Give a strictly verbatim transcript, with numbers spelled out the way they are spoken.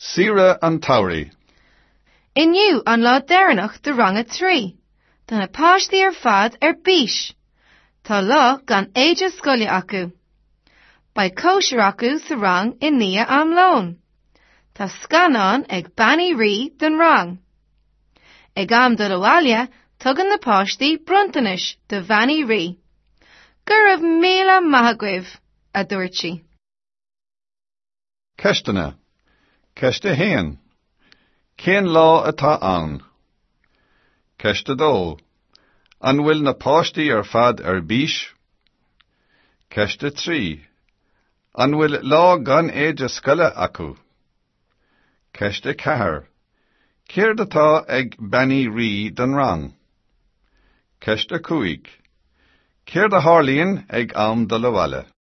Saoire an tsamhraidh. Inniu an lá deireanach de rang a trí. Tá na páistí ar fad ar bís. Tá lá gan éide scoile acu. Beidh cóisir acu sa rang i ndiaidh am lóin. Tá scannán ag Bean Uí Rí don rang. Ag am dul abhaile tugann na páistí bronntanais do Bhean Uí Rí. Go raibh míle maith agaibh, a dúirt sí. Ceisteanna. Ceist a haon. Cén lá atá ann? Ceist a dó. An bhfuil na páistí ar fad ar bís? Ceist a trí. An bhfuil lá gan éide scoile acu? Ceist a ceathair. Céard atá ag Bean Uí Rí don rang? Ceist a cúig. Céard a tharlaíonn ag am dul abhaile?